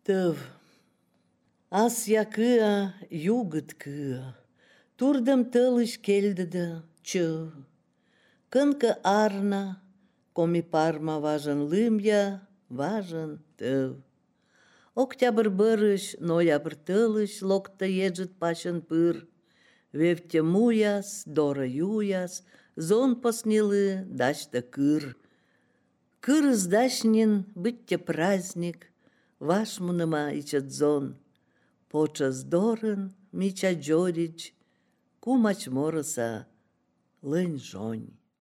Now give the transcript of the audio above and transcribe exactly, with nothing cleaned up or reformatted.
Тыв. Ас якыа, югыт кыа, Турдым тылыш кельдыды чы. Кынкы арна, коми парма важын лымья, важын тыв. Октябрь бырыш, ноябрь тылыш локта ежит пачын пыр. Вевте муяс, дора юяс, зон поснилы, дачта кыр. Кырыз дачнин, бытте праздник, ваш муныма ичет зон. Почас дорын, мича джорич, кумач мороса, лынь жонь.